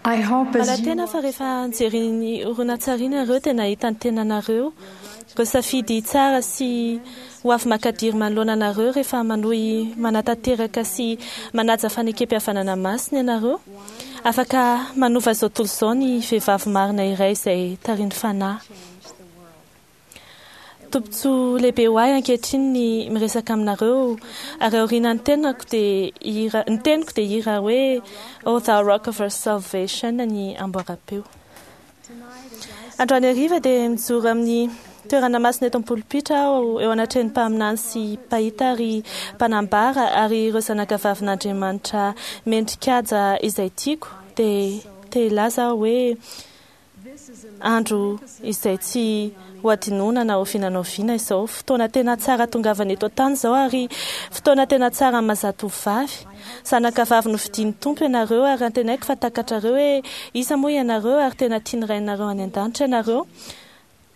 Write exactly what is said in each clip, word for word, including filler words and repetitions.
I hope as you Manantena fa rehefa nijery ny horonantsary ianareo dia nahita ny tenanareo, ireo safidy tsara sy ho avy makadiry manoloana anareo rehefa manohy manatanteraka sy manaja fanekempihavanana masina ianareo. Afaka manova izao tontolo izao ny vehivavy marina iray izay tarihin'ny fanahy. Tombontsoa lehibe ho ahy ankehitriny ny miresaka aminareo, ary aoriana ny tenako dia hira, ny teniko dia hira hoe O Thou Rock of Our Salvation ny amboaram-peo. Androany hariva dia mijoro amin'ny toerana masina eto am-polipitra aho, eo anatrehan'ny mpaminany sy mpahita ary mpanambara ary ireo zanakavavin'Andriamanitra mendrikaja izay tiako, dia te hilaza aho hoe andro izay tsy ho adinoina na oviana na oviana izao. Fotoana tena tsara tongavana eto an-tany izao, ary fotoana tena tsara amin'ny maha zatovovavy. Zanakavavy nofidian'ny Tompo ianareo, ary antenaiko fa takatrareo hoe iza moa ianareo, ary tena tian'ny Rainareo any an-danitra ianareo.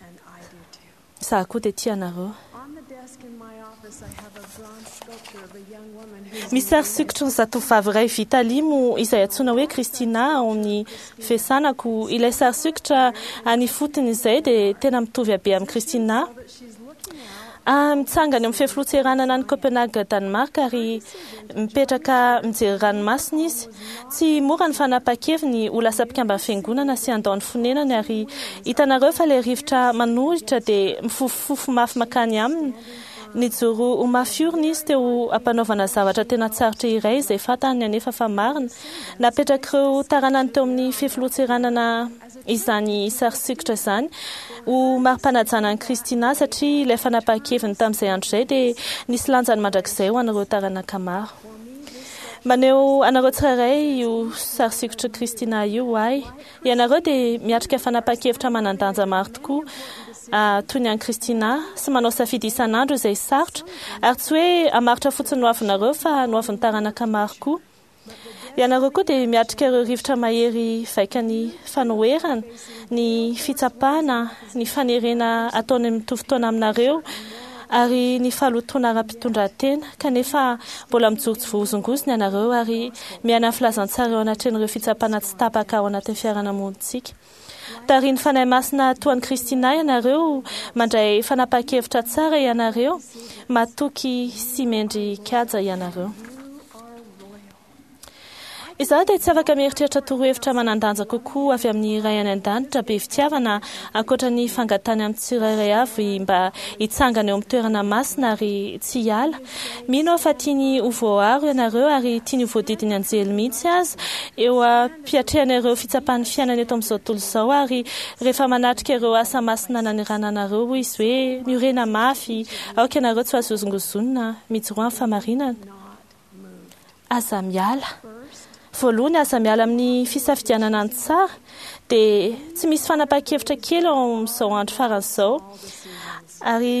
and I do too. Izaho koa dia tia anareo. On the desk in my office, I have a bronze sculpture of a young woman who's Misy sary sokitry ny zatovovavy iray vita limo izay antsoina hoe Christina ao amin'ny fiasanako. Ilay sary sokitra any ifotony izay dia tena mitovy habe amin'i Christina. that she's looking out Ah, mitsangana eo amin'ny fefiloha-tseranana any Copenhague, Danemark, ary mipetraka mijery ranomasina izy. Tsy mora ny fanapahan-keviny ho lasa mpikamban'ny fiangonana sy handao ny fonenany, ary hitanareo fa ilay rivotra manohitra dia mifofofofo mafy mankany aminy. Nijoro ho mafy orina izy teo am-panaovana zavatra tena tsarotra iray izay fantany anefa fa marina. Napetrak'ireo taranany teo amin'ny fefiloha-tseranana izany sary sokitra izany ho mari-panajana an'i Christina, satria ilay fanapahan-keviny tamin'izay andro izay dia nisy lanjany mandrakizay ho an'ireo taranaka maro. Maneho anareo tsirairay io sary sokitra Christina io ho ahy. Ianareo dia miatrika fanapahan-kevitra manan-danja maro tokoa, ah, toy ny an'i Christina, sy manao safidy isan'andro izay sarotra, ary tsy hoe hamaritra fotsiny ny hoavinareo fa ny hoavin'ny taranaka maro koa. Ianareo koa dia miatrika ireo rivotra mahery vaika ny fanoherana, ny fitsapana, ny fanerena ataony mitovy taona aminareo, ary ny fahalotoana ara-pitondran-tena, kanefa mbola mijoro tsy voahozongozona ianareo ary miaina ny filazantsara eo anatrehan'ireo fitsapana tsy tapaka ao anatin'ny fiarahamonintsika. Tarihin'ny Fanahy Masina toa an'i Christina ianareo, mandray fanapahan-kevitra tsara ianareo, matoky sy mendrikaja ianareo. Izaho dia tsy afaka mieritreritra torohevitra manan-danja kokoa avy amin'ny Ray any an-danitra be fitiavana ankoatra ny fangatahany amin'ny tsirairay avy mba hitsangana eo amin'ny toerana masina ary tsy hiala. Mino aho fa tiany ho voaaro ianareo ary tiany ho voadidin'ny anjely mihitsy aza eo am-piatrehana ireo fitsapan'ny fiainana eto amin'izao tontolo izao, ary rehefa manatrika ireo asa masina nanirana anareo, hoy izy hoe miorena mafy, aoka ianareo tsy ho azo hozongozonina, mijoroa amin'ny fahamarinana. not moved. Aza miala. First, Voalohany, aza miala amin'ny fisafidianana ny tsara, dia tsy misy fanapahan-kevitra kely ao amin'izao andro farany izao, all decisions. ary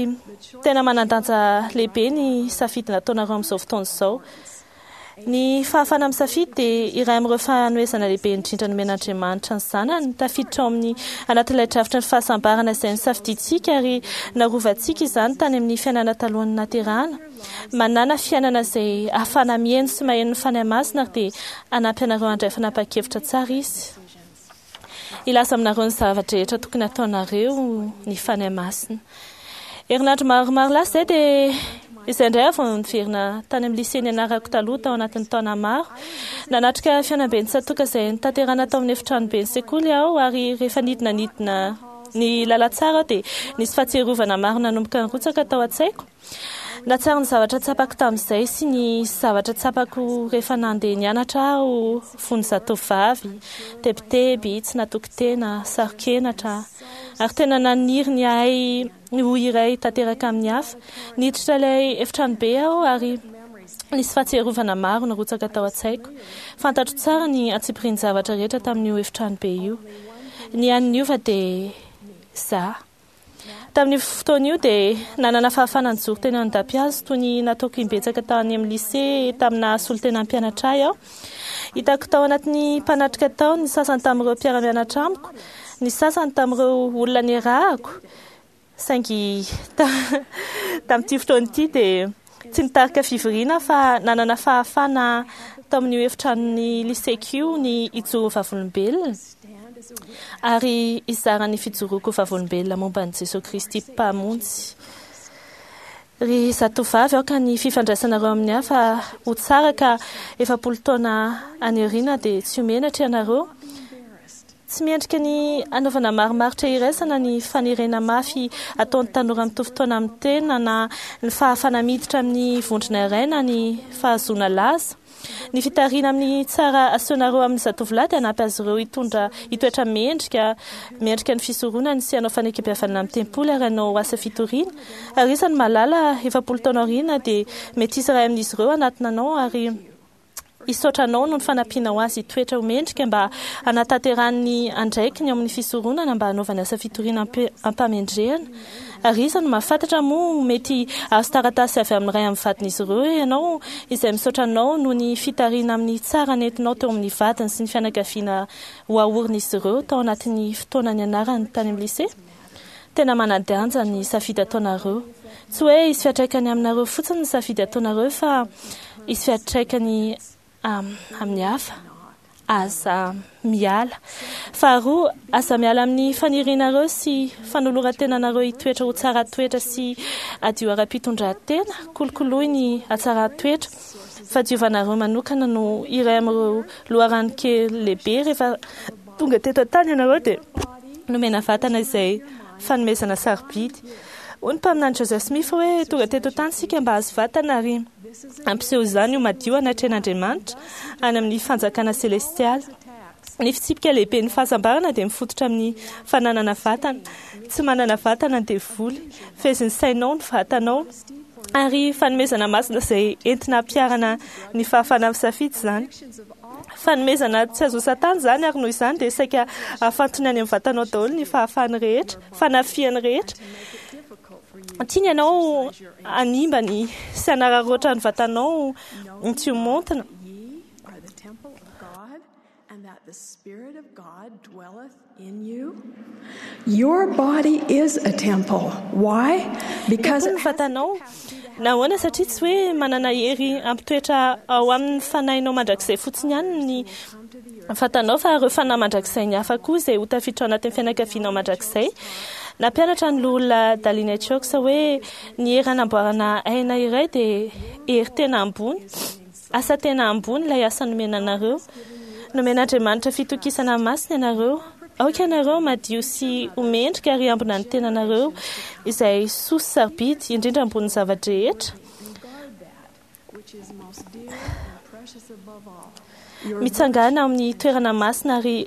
tena manan-danja lehibe ny safidy nataonareo amin'izao fotoana izao. Ny fahafahana misafidy dia iray amin'ireo fanomezana lehibe indrindra nomen'Andriamanitra ny zanany, tafiditra ao amin'ny anatin'ilay drafitra ny fahasambarana izay nisafidintsika ary narovantsika izany tany amin'ny fiainana talohan'ny naterahana. Manana fiainana izay ahafahana mihaino sy maheno ny Fanahy Masina, ary dia hanampy anareo handray fanapahan-kevitra tsara izy. Decisions. Hilaza aminareo ny zavatra rehetra tokony hataonareo ny Fanahy Masina. Herinandro maromaro lasa izay dia izay indray aho vao niverina tany amin'ny lycée nianarako taloha tao anatin'ny taona maro. Nanatrika fihaonamben'ny tsatòka izay notanterahina tao amin'ny efitranoben'ny sekoly aho, ary rehefa nidina nidina ny lalantsara aho dia nisy fahatsiarovana maro nanomboka nirotsaka tao an-tsaiko. Nahatsiaro ny zavatra tsapako tamin'izay sy ny zavatra tsapako rehefa nandeha nianatra aho fony zatovovavy, tebiteby, tsy natoky tena, saro-kenatra, ary tena naniry ny hahay ho iray tanteraka amin'ny hafa. Niditra ilay efitranobe aho ary nisy fahatsiarovana maro nirotsaka tao an-tsaiko. Fantatro tsara ny antsipirian'ny zavatra rehetra tamin'io efitranobe io. Ny hany niova dia izaho. Tamin'io fotoana io dia nanana fahafahana nijoro teny an-dampihazo toy ny nataoko imbetsaka tany amin'ny lycée tamina solontena mpianatra ahy aho. Hitako tao anatin'ny mpanatrika tao ny sasany tamin'ireo mpiara-mianatra amiko, ny sasany tamin'ireo olona niarahako, saingy tamin'ity fotoana ity dia tsy nitarika fivoriana fa nanana fahafahana tao amin'io efitranon'ny liseko io ny hijoro vavolombelona ary hizara ny fijoroako vavolombelona momba an'i Jesosy Kristy Mpamonjy. Ry zatovavy, aoka ny fifandraisanareo amin'ny hafa ho tsara ka efapolo taona any aoriana dia tsy ho menatra ianareo. Tsy miendrika ny anaovana marimaritra iraisana ny fanerena mafy ataon'ny tanora mitovy taona amin'ny tena na ny fahafahana miditra amin'ny vondrona iray na ny fahazoana laza. Ny fitarihana amin'ny tsara asehonareo amin'ny zatovolahy dia hanampy azy ireo hitondra hitoetra mendrika mendrika ny fisoronany sy hanao fanekempihavanana amin'ny tempoly ary hanao asa fitoriana. Ary isan'ny mahalala efapolo taona aoriana dia mety hisy iray amin'izy ireo hanatona anao ary hisaotra anao noho ny fanampianao azy hitoetra ho mendrika mba hanatanterahany ny andraikiny ao amin'ny fisoronana mba hanaovany asa fitoriana am-pamendrehana. Ary iza no mahafantatra moa mety azo taratasy avy amin'ny ray amin'ny vadin'izy ireo ianao izay misaotra anao noho ny fitarihana amin'ny tsara nentinao teo amin'ny vadiny sy ny fianakaviana ho aorin'izy ireo tao anatin'ny fotoana nianarany tany amin'ny lycée. Tena manan-danja ny safidy ataonareo. Tsy hoe hisy fiantraikany aminareo fotsiny ny safidy ataonareo fa hisy fiantraikany amin'ny hafa. Aza miala. Faharoa, aza miala amin'ny fanirianareo sy fanoloran-tenanareo hitoetra ho tsara toetra sy hadio ara-pitondran-tena. Kolokoloy ny hatsaran-toetra. Fahadiovanareo manokana no iray amin'ireo loharanon-kery lehibe. Rehefa tonga teto an-tany ianareo dia nomena vatana izay fanomezana sarobidy. Hoy ny mpaminany Joseph Smith hoe tonga teto an-tany isika mba hahazo vatana ary hampiseho izany ho madio anatrehan'Andriamanitra any amin'ny fanjakana selestialy. Ny fitsipika lehibe ny fahasambarana dia mifototra amin'ny fananana vatana. Tsy manana vatana ny devoly. Fehezin'ny sainao ny vatanao ary fanomezana masina izay entina hampiharana ny fahafahana misafidy izany. Fanomezana tsy azo satana izany ary noho izany dia saika afantony any amin'ny vatanao daholo ny fahafahany rehetra, fanafihany rehetra. Tiany ianao hanimba ny sy hanararaotra ny vatanao tsy ho montina. Your body is a temple. Why? Because ny vatanao. Nahoana? Satria tsy hoe manana hery hampitoetra ao amin'ny fanahinao mandrakizay fotsiny ihany ny vatanao fa ireo fanahy mandrakizay ny hafa koa izay ho tafiditra ao anatin'ny fianakavianao mandrakizay. Nampianatra ny loholona Dallin H. Oaks hoe ny hery hanamboarana aina iray dia hery tena ambony, asa tena ambony ilay asa nomena anareo. Nomen'Andriamanitra fitokisana masina ianareo. Aoka ianareo madio sy ho mendrika ary ambina ny tenanareo izay soa sy sarobidy indrindra ambonin'ny zava-drehetra. Mitsangana amin'ny toerana masina ary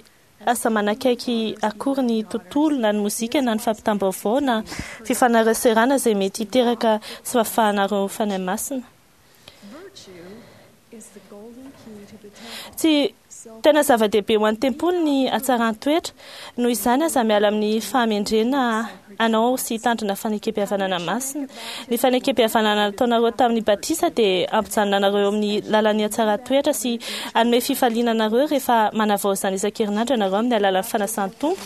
aza manakaiky akory ny tontolo na ny mozika na ny fampitam-baovao na fifanaraserana izay mety hiteraka tsy fahafahanareo fanahy masina. Tsy tena zava-dehibe ho an'ny tempoly ny hatsaran-toetra. Noho izany aza miala amin'ny fahamendrena anao sy hitandrina fanekempihavanana masina. Ny fanekempihavanana nataonareo tamin'ny batisa dia hampijanona anareo amin'ny lalan'ny hatsaran-toetra sy hanome fifaliana anareo rehefa manavao izany isan-kerinandro ianareo amin'ny alalan'ny fanasan'ny Tompo.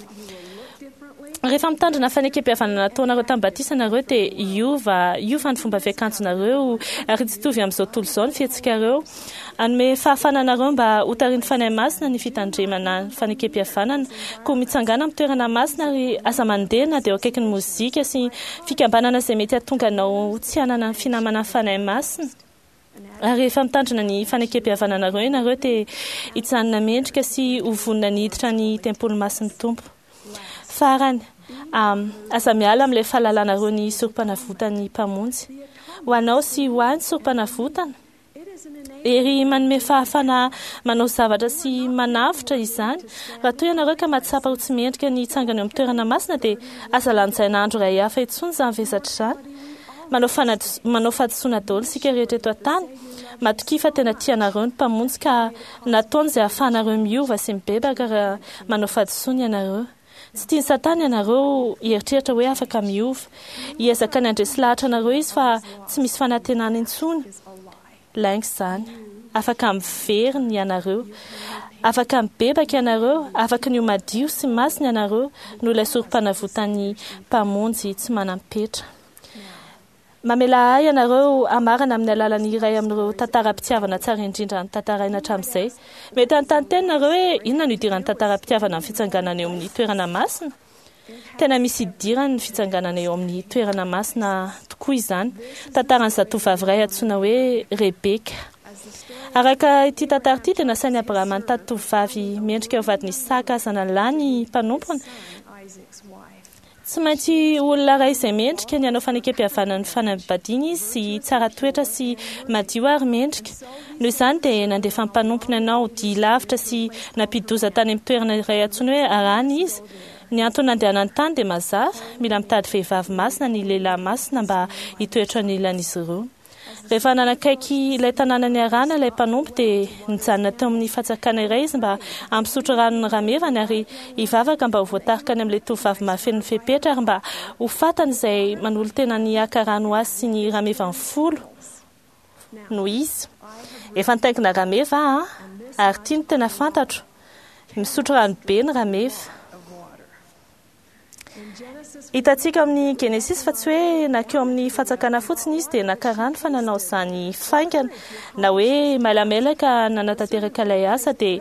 Rehefa mitandrina fanekempihavanana nataonareo tamin'ny batisa ianareo dia hiova hiova ny fomba fiakanjonareo ary tsy hitovy amin'izao tontolo izao ny fihetsikareo. Hanome fahafahana anareo mba ho tarihin'ny Fanahy Masina ny fitandremana ny fanekempihavanana. Koa mitsangàna amin'ny toerana masina ary aza mandeha na dia eo akaikin'ny mozika sy fikambanana izay mety hahatonga anao tsy hanana ny finamana ny Fanahy Masina. Ary rehefa mitandrina ny fanekempihavananareo ianareo dia hijanona mendrika sy ho vonona ny hiditra ny tempoly masin'ny Tompo. Farany, aza miala amin'ilay fahalalanareo ny sorom-panavotan'ny Mpamonjy. Ho anao sy ho ahy ny sorom-panavotana. Hery manome fahafahana manao zavatra sy manavotra izany. Raha toa ianareo ka mahatsapa ho tsy mendrika ny hitsangana eo amin'ny toerana masina dia aza lanjaina andro iray hafa intsony izany vesatra izany. Manao fanadi- manao fahadisoana daholo isika rehetra eto an-tany. Matokia fa tena tia anareo ny Mpamonjy ka nataony izay ahafahanareo miova sy mibebaka raha manao fahadisoana ianareo. Tsy tian'i Satana ianareo hieritreritra hoe afaka miova. Hiezaka ny handresy lahatra anareo izy fa tsy misy fanantenana intsony. Lainga izany. Afaka miverina ianareo. Afaka mibebaka ianareo. Afaka ny ho madio sy masina ianareo noho ilay sorom-panavotan'ny Mpamonjy tsy manam-petra. Mamela ahy ianareo hamarana amin'ny alalan'ny iray amin'ireo tantaram-pitiavana tsara indrindra notantaraina hatramin'izay. Mety hanontany tena nareo hoe inona no idiran'ny tantaram-pitiavana amin'ny fitsanganana eo amin'ny toerana masina? Tena misy idirany ny fitsanganana eo amin'ny toerana masina tokoa izany. Tantaran'ny zatovavy iray antsoina hoe Rebeka. Araka ity tantara ity dia nasain'i Abrahama nitady tovovavy mendrika ho vadin'i Isaka zanany ny mpanompony. Tsy maintsy olona iray izay mendrika ny hanao fanekempihavanana ny fanambadiana izy, tsara toetra sy madio ary mendrika. Noho izany dia nandefa ny mpanompony hanao dia lavitra sy nampidoza tany amin'ny toerana iray antsoina hoe Harana izy. Ny antony nandehanany tany dia mazava, mila mitady vehivavy masina ny lehilahy masina mba hitoetra anilan'izy ireo. Rehefa nanakaiky ilay tanànan'i Harana ilay mpanompo dia nijanona teo amin'ny fatsakana iray izy mba hampisotro rano ny ramevany ary hivavaka mba ho voatarika any amin'ilay tovovavy mahafeno ny fepetra ary mba ho fantany izay manolo-tena ny haka rano azy sy ny ramevany folo no izy. Efa nitaingina rameva aho ary ity no tena fantatro, misotro rano be ny rameva. Hitantsika amin'ny Genesis fa tsy hoe nankeo amin'ny fatsakana fotsiny izy dia naka rano fa nanao izany faingana na hoe mailamelaka nanatanteraka ilay asa. Dia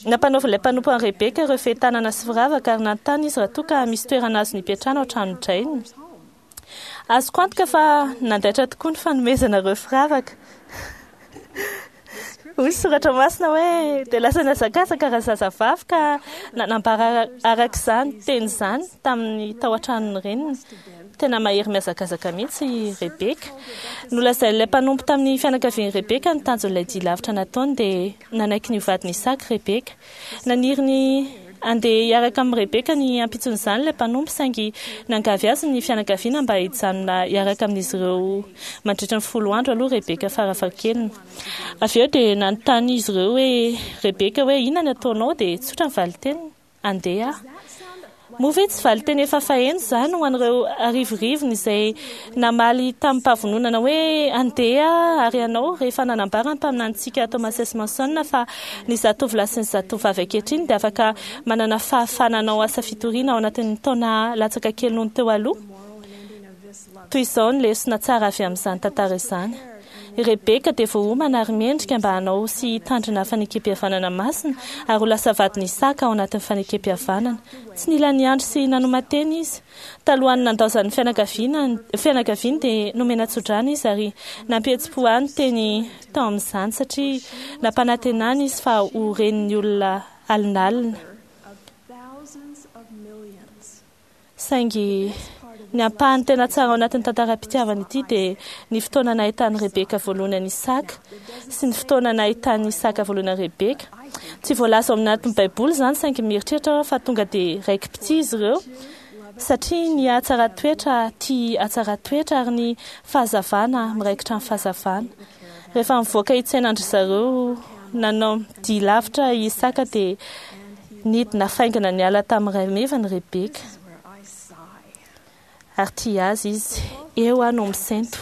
nampanaovin'ilay mpanompo an'i Rebeka ireo fehitanana sy firavaka ary nanontany izy raha toa ka misy toerana azony hipetrahana ao an-tranon-drainy. Azoko antoka fa nandaitra tokoa ny fanomezana ireo firavaka. Hoy soratra masina hoe dia lasa nihazakazaka raha zazavavy ka nanambara araka izany teny izany tamin'ny tao an-tranon'ny reniny. Tena mahery mihazakazaka mihitsy Rebeka. Nolazain'ilay mpanompo tamin'ny fianakavian'i Rebeka ny tanjon'ilay dia lavitra nataony dia nanaiky ny ho vadin'i Isaka Rebeka. Naniry ny handeha hiaraka amin'i Rebeka ny ampitson'izany ilay mpanompo saingy niangavy azy ny fianakaviana mba hijanona hiaraka amin'izy ireo mandritra ny folo andro aloha Rebeka farafahakeliny. Avy eo dia nanontany izy ireo hoe Rebeka hoe inona ny ataonao, dia tsotra ny valin-teniny, andeha aho. Moa ve tsy valin-teny efa faheno izany ho an'ireo arivorivony izay namaly tamim-pavononana hoe andeha ary ianao rehefa nanambara ny mpaminanintsika Thomas S. Monson fa ny zatovolahy sy ny zatovavy ankehitriny dia afaka manana fahafahana hanao asa fitoriana ao anatin'ny taona latsaka kely noho ny teo aloha? Toy izao ny lesona tsara avy amin'izany tantara izany. Rebeka dia voaomana ary mendrika mba hanao sy hitandrina fanekempihavanana masina ary ho lasa vadin'i Isaka ao anatin'ny fanekempihavanana. Tsy nila niandry sy nanoman-tena izy. Talohan'ny nandaozan'ny fianakaviana fianakaviany dia nomena tsodrano izy ary nampihetsi-po ahy ny teny tao amin'izany satria nampanantenana izy fa ho renin'ny olona alinalina. Saingy ny ampahany tena tsara ao anatin'ny tantaram-pitiavana ity dia ny fotoana nahitan'i Rebeka voalohany an'i Isaka sy ny fotoana nahitan'i Isaka voalohany an'i Rebeka. Tsy voalaza ao anatin'ny Baiboly izany saingy mieritreritra aho fa tonga dia raiki-pitia izy ireo satria ny hatsara-toetra tia hatsara-toetra ary ny fahazavana miraikitra amin'ny fahazavana. Rehefa nivoaka hitsenan-dry zareo nanao dia lavitra i Isaka dia nidina faingana niala tamin'ny ramevany Rebeka ary tia azy izy. Eo aho no misento.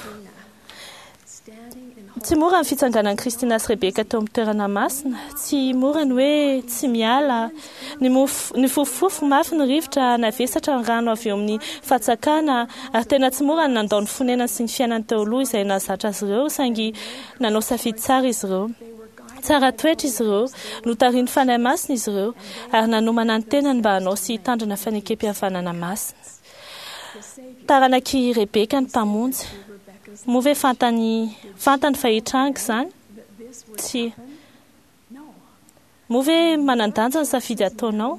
Tsy mora ny fitsanganan'i Kristina sy Rebeka teo amin'ny toerana masina. Tsy mora ny hoe tsy miala. Ny mof- nifofofofo mafy ny rivotra, navesatra ny rano avy eo amin'ny fatsakana ary tena tsy mora ny nandao ny fonenany sy ny fiainany teo aloha izay nahazatra azy ireo saingy nanao safidy tsara izy ireo. Tsara toetra izy ireo, notarihin'ny Fanahy Masina izy ireo ary nanomana ny tenany mba hanao sy hitandrina fanekempihavanana masina. Taranak'i Rebeka ny mpamonjy. Moa ve fantany fantany fa hitranga izany? Tsia. Moa ve manan-danja ny safidy ataonao?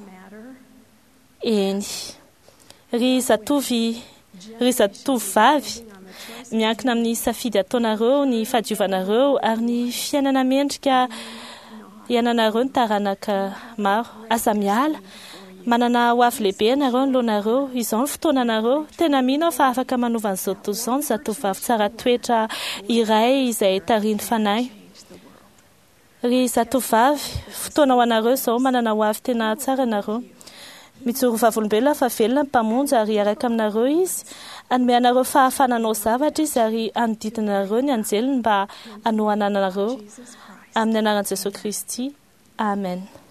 Eny. Ry zatovy, ry zatovovavy, miankina amin'ny safidy ataonareo ny fahadiovanareo ary ny fiainana mendrika iainanareo ny taranaka maro. Aza miala. Manana ho avy lehibe ianareo anoloanareo. Izao ny fotoananareo. Tena mino aho fa afaka manova an'izao tontolo izao ny zatovovavy tsara toetra iray izay tarihin'ny Fanahy. Ry zatovovavy, fotoana ho anareo izao, manana ho avy tena tsara ianareo. Mijoro vavolombelona fa velona ny Mpamonjy ary hiaraka aminareo Izy. Hanome anareo fahafahana hanao zavatra Izy ary hanodidina anareo ny anjeliny mba hanohanana anareo. Amin'ny anaran'i Jesosy Kristy. Amen.